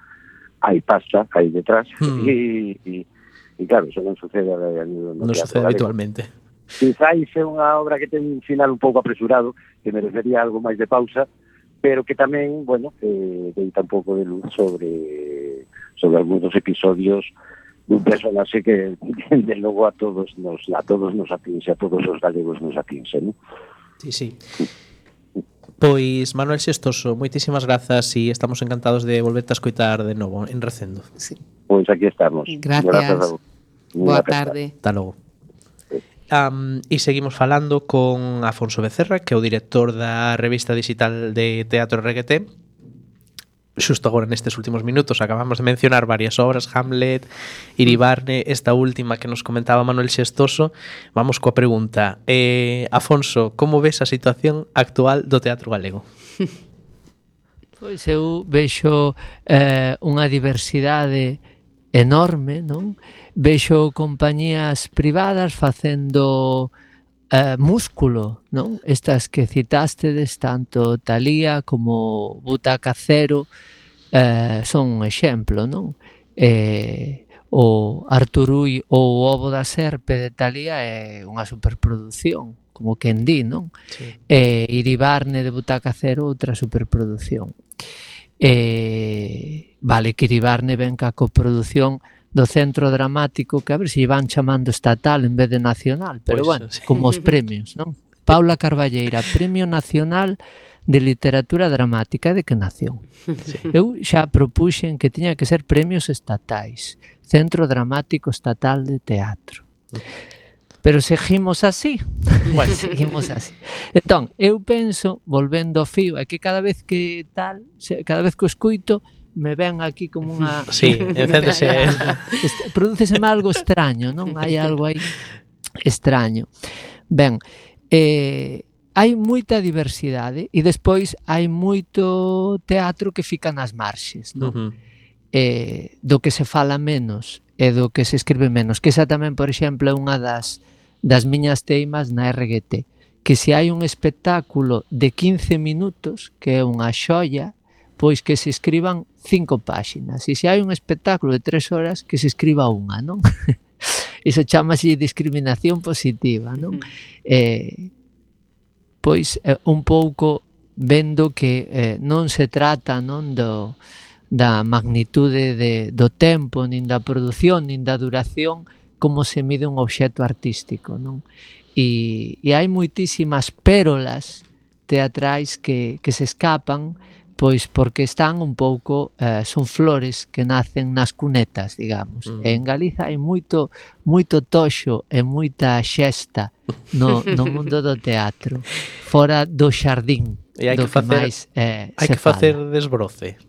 hai pasta, hai detrás, Hmm. e, e, e claro, eso non sucede a, a nivel no Non teatro sucede galego. habitualmente. Quizáis é unha obra que ten un final un pouco apresurado, que merecería algo máis de pausa, pero que tamén, bueno, eh, deita un pouco de luz sobre sobre algúns dos episodios dun personaxe que, de logo, a todos nos a todos nos atinxe, a todos os galegos nos atinxe, non? Sí, sí. Pois, Manuel Xestoso, moitísimas grazas e estamos encantados de volverte a escoitar de novo en Recendo. Sí. Pois aquí estamos. Gracias. Grazas a vos. Boa Unha aperta. tarde. Hasta logo. Um, e seguimos falando con Afonso Becerra, que é o director da revista digital de Teatro R G T. Xusto agora nestes últimos minutos acabamos de mencionar varias obras, Hamlet, Iribarne, esta última que nos comentaba Manuel Xestoso. Vamos coa pregunta. Eh, Afonso, como ves a situación actual do teatro galego? Pois eu vexo eh, unha diversidade enorme, non? Vexo compañías privadas facendo eh, músculo, non? Estas que citástedes, tanto Talía como Butaca Cero, eh, son un exemplo, non? Eh, o Arturui ou o Ovo da Serpe de Talía é unha superproducción, como quen di, non? Sí. E Iribarne de Butaca Cero, outra superproducción. E vale que Iribarne ven ca coproducción do Centro Dramático, que a ver se van chamando estatal en vez de nacional, pero Pois, bueno, sí. como os premios, non? Paula Carballeira, Premio Nacional de Literatura Dramática, de que nación? Sí. Eu xa propuxen que tiña que ser premios estatais, Centro Dramático Estatal de Teatro. pero seguimos así. Bueno. seguimos así. Entón, eu penso, volvendo ao fío, é que cada vez que tal, cada vez que o escuito, me ven aquí como unha... Sí, encéndese. Prodúceseme algo extraño, non? Hai algo aí extraño. Ben, eh, hai moita diversidade e despois hai moito teatro que fica nas marxes, non? Uh-huh. Eh, do que se fala menos e do que se escribe menos, que esa tamén, por exemplo, é unha das, das miñas teimas na R G T, que se hai un espectáculo de quince minutos, que é unha xoia, pois que se escriban cinco páxinas, e se hai un espectáculo de tres horas, que se escriba unha, non? Iso chamase discriminación positiva, non? Eh, pois eh, un pouco vendo que eh, non se trata, non, do, da magnitude de, do tempo, nin da produción, nin da duración, como se mide un obxecto artístico, non? E, e hai moitísimas pérolas teatrais que, que se escapan, pois porque están un pouco, eh, son flores que nacen nas cunetas, digamos. Mm. E en Galiza hai moito moito toxo e moita xesta no, no mundo do teatro, fora do xardín, e hai do que, facer, máis eh, hai se que facer fala. desbroce.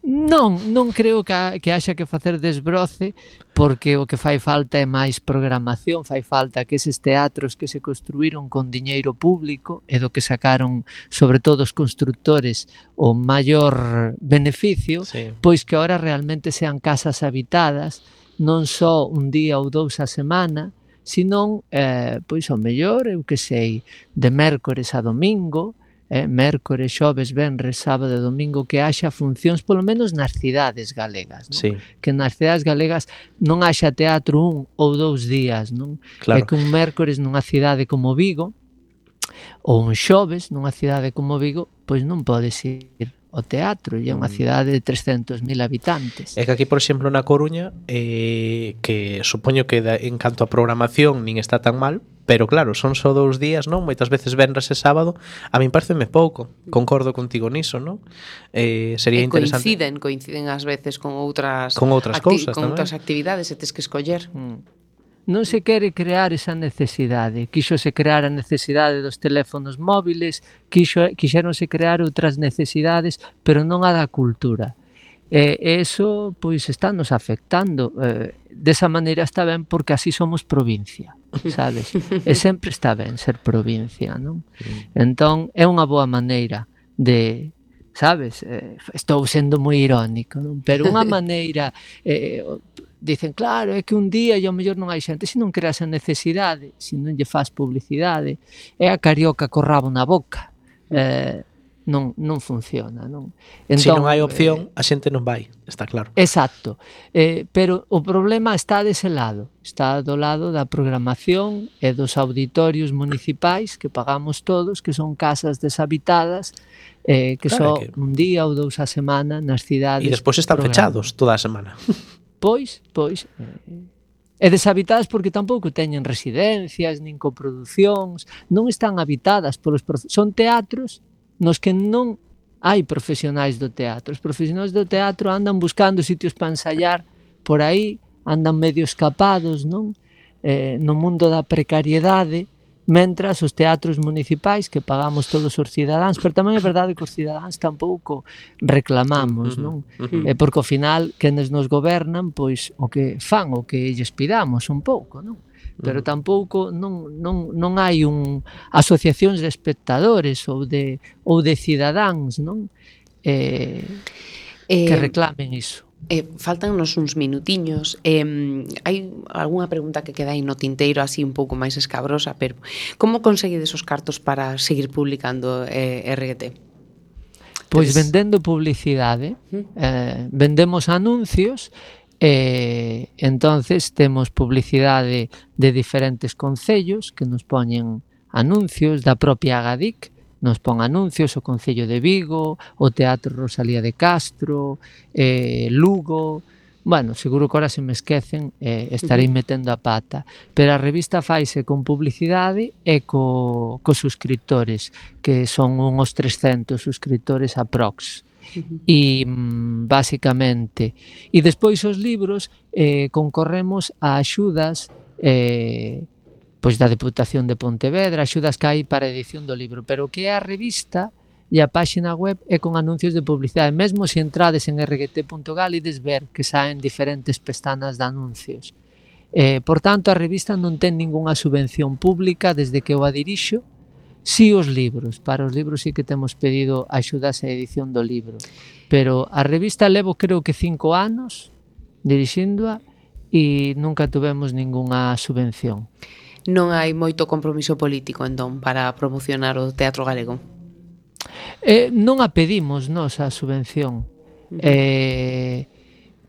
Non, non creo que, ha, que haxa que facer desbroce, porque o que fai falta é máis programación, fai falta que eses teatros que se construíron con diñeiro público e do que sacaron, sobre todo os constructores, o maior beneficio, sí. Pois que ahora realmente sean casas habitadas, non só un día ou dous a semana, senón, eh, pois ao mellor, eu que sei, de mércores a domingo, eh, mércores, xoves, venres, sábado e domingo, que haxa funcións polo menos nas cidades galegas, non? Sí. Que nas cidades galegas non haxa teatro un ou dous días, non? Claro. E que un mércores nunha cidade como Vigo ou un xoves nunha cidade como Vigo, pois non podes ir ao teatro, e é unha cidade de trescentos mil habitantes. É que aquí, por exemplo, na Coruña, eh, que supoño que da, en canto a programación nin está tan mal, pero claro, son só dous días, non? Moitas veces venres e sábado, a min pareceme pouco. Concordo contigo niso, non? Eh, sería e interesante. coinciden, coinciden ás veces con outras con outras cousas con tamén. outras actividades e tes que escoller. Mm. Non se quere crear esa necesidade. Quixose crear a necesidade dos teléfonos móviles, quixo, quixéronse crear outras necesidades, pero non a da cultura. E eso, pois, está nos afectando. Eh, desa maneira está ben, porque así somos provincia, sabes? E sempre está ben ser provincia, non? Entón, é unha boa maneira de... Sabes? Eh, estou sendo moi irónico, non? Pero unha maneira... Eh, dicen, claro, é que un día e ao mellor non hai xente, se non creas a necesidade, se non lle faz publicidade, é a carioca co rabo na boca. Eh, non, non funciona, non? Entón, se non hai opción, eh, a xente non vai, está claro. Exacto. Eh, pero o problema está dese lado, está do lado da programación e dos auditorios municipais que pagamos todos, que son casas deshabitadas, eh, que claro, só que... un día ou dous a semana nas cidades. E despois están fechados toda a semana. Pois, pois, e deshabitadas porque tampouco teñen residencias, nin coproducións, non están habitadas polos profe- son teatros nos que non hai profesionais do teatro. Os profesionais do teatro andan buscando sitios para ensaiar por aí, andan medio escapados, non? Eh, no mundo da precariedade, mentras os teatros municipais que pagamos todos os cidadáns, pero tamén é verdade que os cidadáns tampouco reclamamos, non? Uh-huh. Eh, porque ao final quenes nos gobernan, pois o que fan, o que lles pidamos un pouco, non? Pero tampouco non, non, non hai un asociacións de espectadores ou de ou de cidadáns, non? Eh, eh, que reclamen iso. Eh, faltannos uns minutiños. Eh, hai algunha pregunta que queda aí no tinteiro así un pouco máis escabrosa, pero como conseguides os cartos para seguir publicando eh, R G T? Pois vendendo publicidade, eh, vendemos anuncios, e eh, entonces temos publicidade de diferentes concellos que nos poñen anuncios, da propia Agadic nos pon anuncios, o Concello de Vigo, o Teatro Rosalía de Castro, eh, Lugo... Bueno, seguro que ahora se me esquecen, eh, estarei metendo a pata. Pero a revista faise con publicidade e co, co suscriptores, que son uns trescentos suscriptores aprox. E mm, basicamente... E despois os libros eh, concorremos a axudas... Eh, pois da Deputación de Pontevedra, axudas que hai para a edición do libro, pero o que é a revista e a páxina web é con anuncios de publicidade. Mesmo se entrades en erre ge te punto gal ides ver que saen diferentes pestanas de anuncios. Eh, por tanto, a revista non ten ningunha subvención pública desde que eu a dirixo. Si os libros, para os libros sí que temos pedido axudas a edición do libro, pero a revista levo creo que cinco anos dirixíndoa e nunca tuvemos ningunha subvención. Non hai moito compromiso político, entón, para promocionar o teatro galego? Eh, non a pedimos nos a subvención. Eh,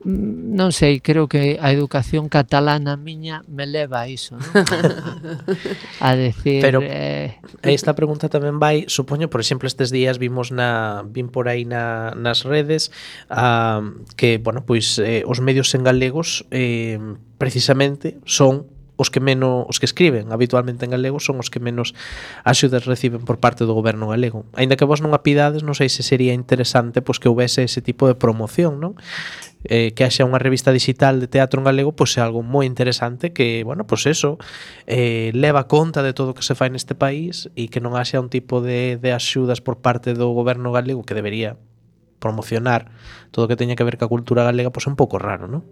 non sei, creo que a educación catalana miña me leva a iso, non? A decir... Pero eh... esta pregunta tamén vai, supoño, por exemplo, estes días vimos na vin por aí na, nas redes uh, que, bueno, pois eh, os medios en galegos eh, precisamente son os que menos, os que escriben habitualmente en galego son os que menos axudas reciben por parte do goberno galego. Aínda que vos non a pidades, non sei se sería interesante pois que houvese ese tipo de promoción, non? Eh, que haxa unha revista digital de teatro en galego, pois é algo moi interesante que, bueno, pois eso eh, leva conta de todo o que se fai neste país e que non haxa un tipo de, de axudas por parte do goberno galego que debería promocionar todo o que teña que ver ca cultura galega, pois é un pouco raro, non?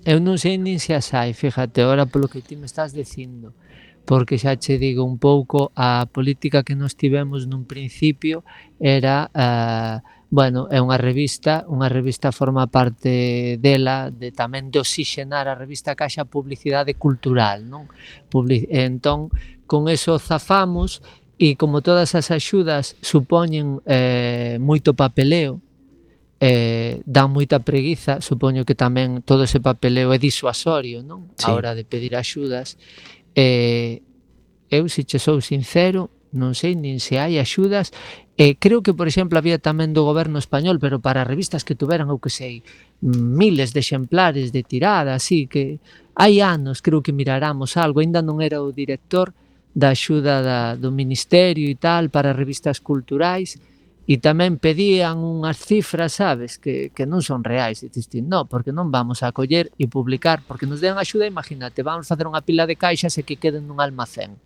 Eu non sei nin se as hai, fíjate, ahora polo que ti me estás dicindo, porque xa che digo un pouco a política que nos tivemos nun principio era, uh, bueno, é unha revista, unha revista forma parte dela, de tamén de oxigenar a revista que haxa publicidade cultural, non? Public... Entón, con eso zafamos e como todas as axudas supoñen eh, moito papeleo, Eh, dá moita preguiza, supoño que tamén todo ese papeleo é disuasorio, non? Sí. A hora de pedir axudas. Eh, eu, se che sou sincero, non sei nin se hai axudas. Eh, creo que, por exemplo, había tamén do goberno español, pero para revistas que tuveran, eu que sei, miles de exemplares de tirada, así que hai anos, creo que miráramos algo, ainda non era o director da axuda da, do Ministerio e tal para revistas culturais, e tamén pedían unhas cifras, sabes, que, que non son reais. E dixen, non, porque non vamos a coller e publicar, porque nos den axuda, imagínate, vamos facer unha pila de caixas e que queden nun almacén.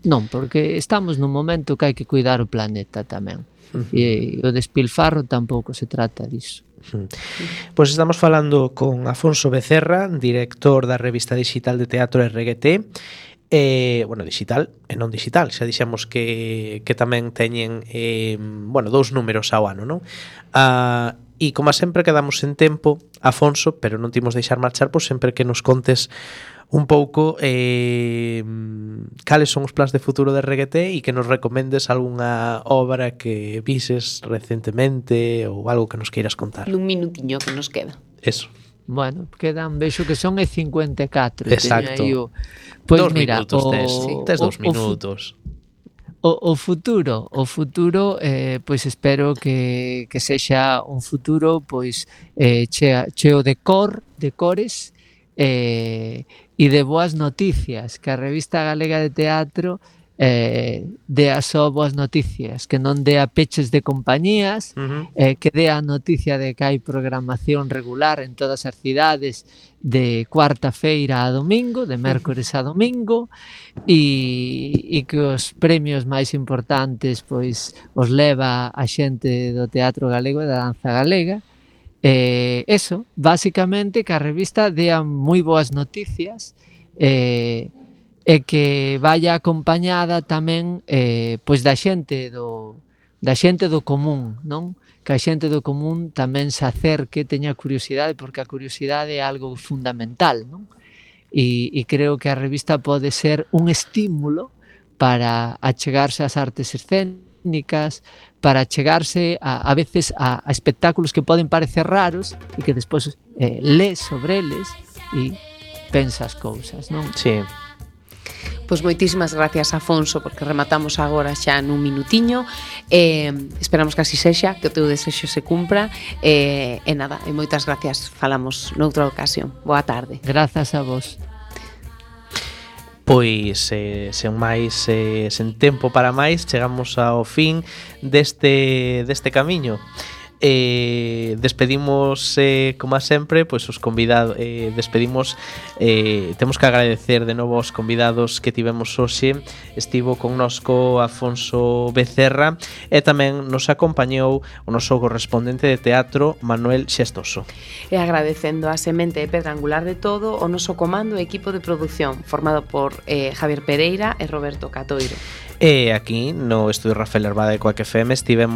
Non, porque estamos nun momento que hai que cuidar o planeta tamén. Uh-huh. E o despilfarro tampouco se trata disso. Uh-huh. Pois estamos falando con Afonso Becerra, director da revista digital de teatro erre ge te, Eh, bueno, digital e non digital, xa dixemos que, que tamén teñen eh, bueno, dous números ao ano, non? Ah, e como sempre quedamos en tempo, Afonso, pero non timos deixar marchar, pois sempre que nos contes un pouco eh, cales son os plans de futuro de erre ge te e que nos recomendes algunha obra que vises recentemente ou algo que nos queiras contar. Nun minutiño que nos queda. Eso. Bueno, quedan, vexo que son e cincuenta e catro. Exacto. O... Pois dos mira, minutos o, tes, sí. tes dos o, minutos. O, o futuro, o futuro, eh, pois espero que, que sexa un futuro pois eh, chea, cheo de cor, de cores eh, e de boas noticias, que a Revista Galega de Teatro eh, dea só boas noticias, que non dea peches de compañías, uh-huh. eh, que dea a noticia de que hai programación regular en todas as cidades de cuarta feira a domingo, de mércores a domingo, e, e que os premios máis importantes pois os leva a xente do teatro galego e da danza galega. Eh, eso, basicamente que a revista dea moi boas noticias, eh, e que vaya acompañada tamén eh, pois da xente do da xente do común, non? Que a xente do común tamén se acerque, teña curiosidade, porque a curiosidade é algo fundamental, non? E, e creo que a revista pode ser un estímulo para achegarse ás artes escénicas, para achegarse a, a veces a, a espectáculos que poden parecer raros e que despois eh, lees sobre eles e pensas cousas, non? Sí. Pois moitísimas gracias, Afonso, porque rematamos agora xa nun minutiño. Eh, esperamos que así sexa, que o teu desexo se cumpra. Eh, e nada, e moitas gracias. Falamos noutra ocasión. Boa tarde. Grazas a vos. Pois, eh, sen máis, eh, sen tempo para máis, chegamos ao fin deste, deste camiño. eh, despedimos eh, como a sempre, pois os convidados eh, despedimos eh, temos que agradecer de novo aos convidados que tivemos hoxe. Estivo connosco Afonso Becerra e tamén nos acompañou o noso correspondente de teatro Manuel Xestoso. E agradecendo a semente e pedra angular de todo o noso comando e equipo de produción formado por eh, Javier Pereira e Roberto Catoiro. E aquí no Estudio Rafael Herbada de Coac F M estivemos